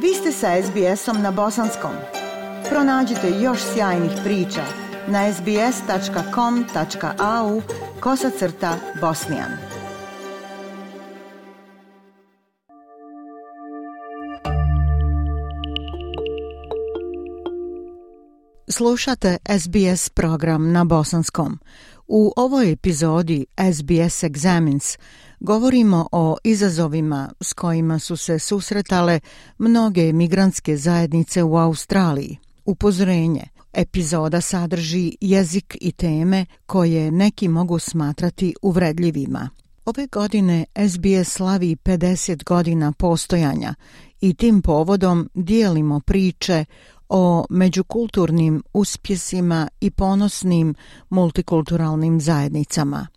Vi ste sa SBS-om na bosanskom. Pronađite još sjajnih priča na sbs.com.au/bosnian. Slušate SBS program na bosanskom. U ovoj epizodi SBS Examines govorimo o izazovima s kojima su se susretale mnoge migrantske zajednice u Australiji. Upozorenje. Epizoda sadrži jezik i teme koje neki mogu smatrati uvredljivima. Ove godine SBS slavi 50 godina postojanja i tim povodom dijelimo priče o međukulturnim uspjesima i ponosnim multikulturalnim zajednicama.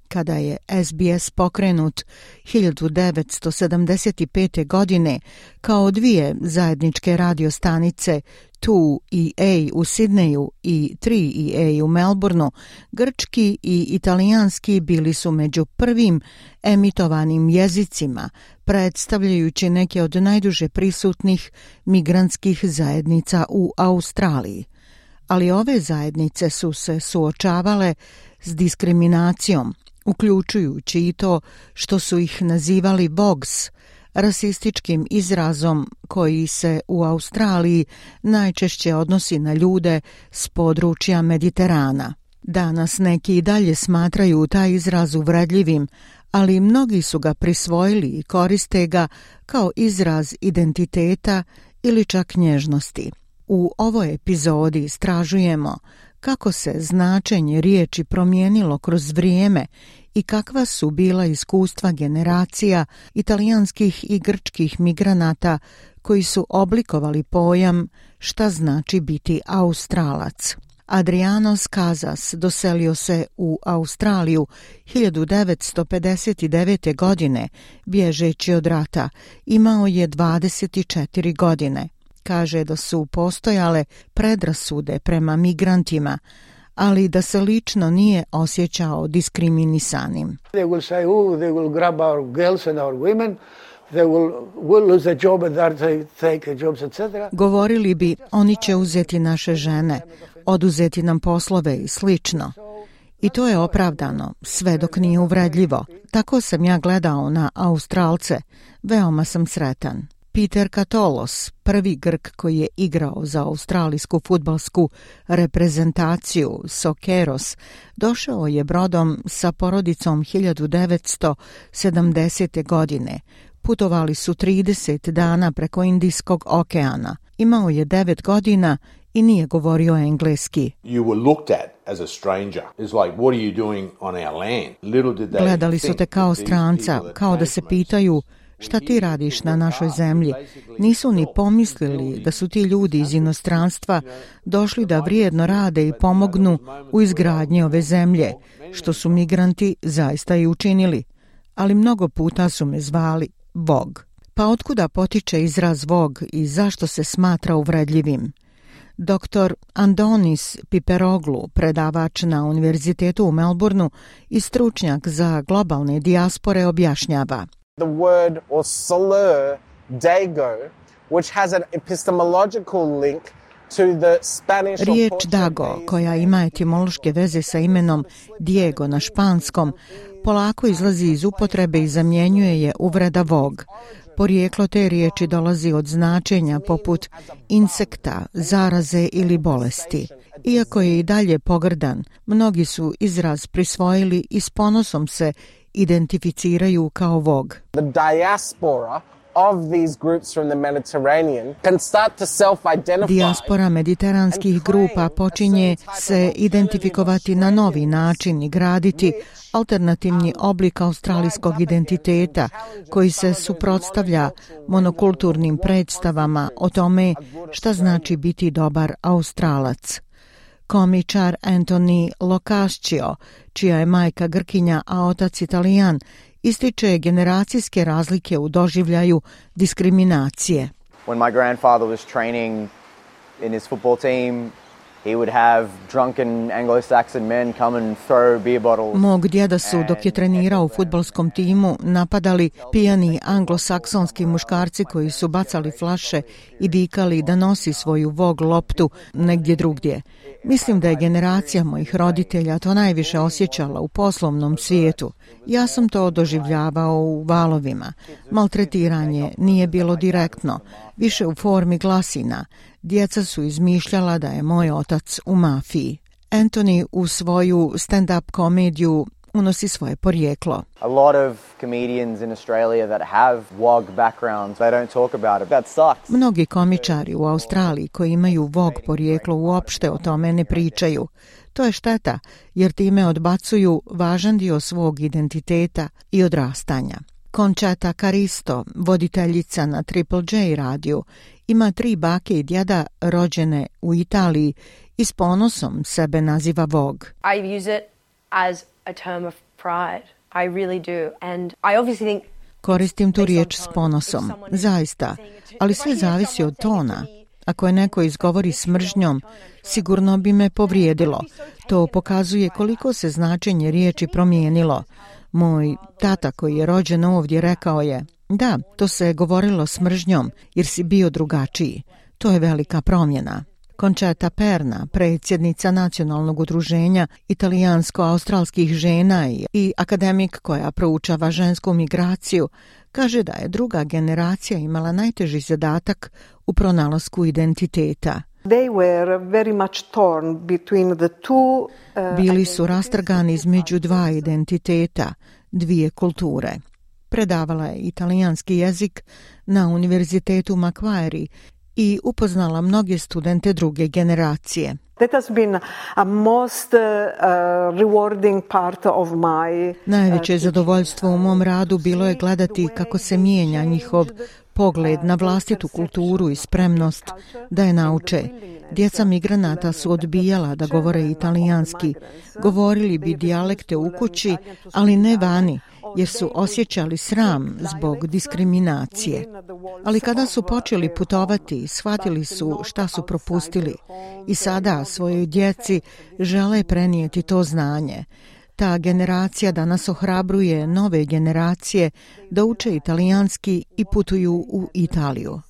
Kada je SBS pokrenut 1975. godine kao dvije zajedničke radiostanice 2EA u Sidneju i 3EA u Melbourneu, grčki i italijanski bili su među prvim emitovanim jezicima, predstavljajući neke od najduže prisutnih migrantskih zajednica u Australiji. Ali ove zajednice su se suočavale s diskriminacijom, uključujući i to što su ih nazivali Vogs, rasističkim izrazom koji se u Australiji najčešće odnosi na ljude s područja Mediterana. Danas neki i dalje smatraju taj izraz uvredljivim, ali mnogi su ga prisvojili i koriste ga kao izraz identiteta ili čak nježnosti. U ovoj epizodi istražujemo kako se značenje riječi promijenilo kroz vrijeme i kakva su bila iskustva generacija italijanskih i grčkih migranata koji su oblikovali pojam šta znači biti Australac. Adriano Skazas doselio se u Australiju 1959. godine, bježeći od rata. Imao je 24 godine. Kaže da su postojale predrasude prema migrantima, ali da se lično nije osjećao diskriminisanim. They will say, they will grab our girls and our women. They will lose a job and they take jobs, etc. Govorili bi, oni će uzeti naše žene, oduzeti nam poslove i slično. I to je opravdano, sve dok nije uvredljivo. Tako sam ja gledao na Australce. Veoma sam sretan. Peter Katolos, prvi Grk koji je igrao za australijsku fudbalsku reprezentaciju Sokeros, došao je brodom sa porodicom 1970. godine. Putovali su 30 dana preko Indijskog okeana. Imao je 9 godina i nije govorio engleski. Gledali su te kao stranca, kao da se pitaju šta ti radiš na našoj zemlji. Nisu ni pomislili da su ti ljudi iz inostranstva došli da vrijedno rade i pomognu u izgradnji ove zemlje, što su migranti zaista i učinili. Ali mnogo puta su me zvali Vog. Pa otkuda potiče izraz Vog i zašto se smatra uvredljivim? Dr. Andonis Piperoglu, predavač na Univerzitetu u Melbourneu i stručnjak za globalne dijaspore, objašnjava. The word or slur, dago, which has an epistemological link to the Spanish. Riječ dago, koja ima etimološke veze sa imenom Diego na španskom, polako izlazi iz upotrebe i zamjenjuje je uvreda Vog. Porijeklo te riječi dolazi od značenja poput insekta, zaraze ili bolesti. Iako je i dalje pogrdan, mnogi su izraz prisvojili i s ponosom se identificiraju kao Vog. The diaspora of these groups from the Mediterranean can start to self-identify. Dijaspora mediteranskih grupa počinje se identifikovati na novi način i graditi alternativni oblik australijskog identiteta koji se suprotstavlja monokulturnim predstavama o tome šta znači biti dobar Australac. Komičar Anthony Locascio, čija je majka Grkinja, a otac Italijan, ističe generacijske razlike u doživljaju diskriminacije. When my grandfather was training in his football team, He would have drunken Anglo-Saxon men come and throw beer bottles. Mog djeda su, dok je trenirao u fudbalskom timu, napadali pijani anglosaksonski muškarci koji su bacali flaše i vikali da nosi svoju vog loptu negdje drugdje. Mislim da je generacija mojih roditelja to najviše osjećala u poslovnom svijetu. Ja sam to doživljavao u valovima. Maltretiranje nije bilo direktno, više u formi glasina. Djeca su izmišljala da je moj otac u mafiji. Anthony u svoju stand-up komediju unosi svoje porijeklo. A lot of comedians in Australia that have WOG backgrounds, they don't talk about it. That sucks. Mnogi komičari u Australiji koji imaju VOG porijeklo uopšte o tome ne pričaju. To je šteta, jer time odbacuju važan dio svog identiteta i odrastanja. Conchata Caristo, voditeljica na Triple J radiju, ima 3 bake i djeda rođene u Italiji i s ponosom sebe naziva VOG. I use it as a term of pride. I really do. And I obviously think Koristim tu riječ s ponosom, zaista, ali sve zavisi od tona. Ako je neko izgovori s mržnjom, sigurno bi me povrijedilo. To pokazuje koliko se značenje riječi promijenilo. Moj tata koji je rođen ovdje rekao je, da, to se je govorilo s mržnjom jer si bio drugačiji. To je velika promjena. Conchata Perna, predsjednica Nacionalnog udruženja italijansko-australskih žena i akademik koja proučava žensku migraciju, kaže da je druga generacija imala najteži zadatak u pronalasku identiteta. Bili su rastrgani između 2 identiteta, 2 kulture. Predavala je italijanski jezik na Univerzitetu Macquarie i upoznala mnoge studente druge generacije. Najveće zadovoljstvo u mom radu bilo je gledati kako se mijenja njihov pogled na vlastitu kulturu i spremnost da je nauče. Djeca migranata su odbijala da govore italijanski. Govorili bi dijalekte u kući, ali ne vani, jer su osjećali sram zbog diskriminacije. Ali kada su počeli putovati, shvatili su šta su propustili i sada svojoj djeci žele prenijeti to znanje. Ta generacija danas ohrabruje nove generacije da uče italijanski i putuju u Italiju.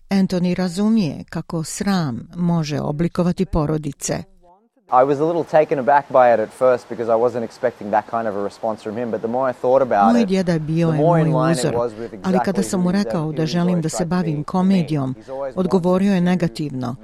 Anthony razumije kako sram može oblikovati porodice. I was a little taken aback by it at first because I wasn't expecting that kind of a response from him, but the more I thought about Moj it, djeda je bio moj uzor, ali kada sam mu rekao da želim da se bavim komedijom, odgovorio je negativno.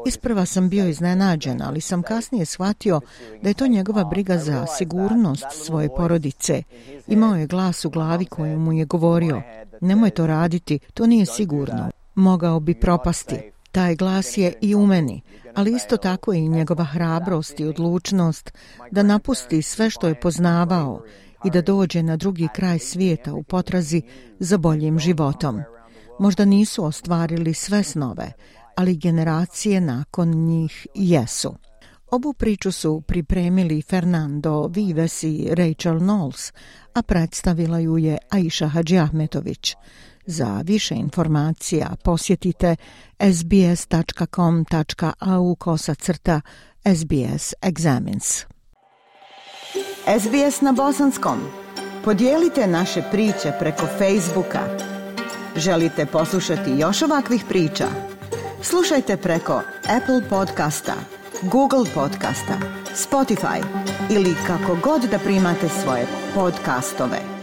Isprva sam bio iznenađen, ali sam kasnije shvatio da je to njegova briga za sigurnost svoje porodice. Imao je glas u glavi koji mu je govorio, nemoj to raditi, to nije sigurno, mogao bi propasti. Taj glas je i u meni, ali isto tako i njegova hrabrost i odlučnost da napusti sve što je poznavao i da dođe na drugi kraj svijeta u potrazi za boljim životom. Možda nisu ostvarili sve snove, ali generacije nakon njih jesu. Ovu priču su pripremili Fernando Vives i Rachel Knowles, a predstavila ju je Aisha Hadžiahmetović. Za više informacija posjetite sbs.com.au/SBS Examines. SBS na bosanskom. Podijelite naše priče preko Facebooka. Želite poslušati još ovakvih priča? Slušajte preko Apple podcasta, Google podcasta, Spotify ili kako god da primate svoje podcastove.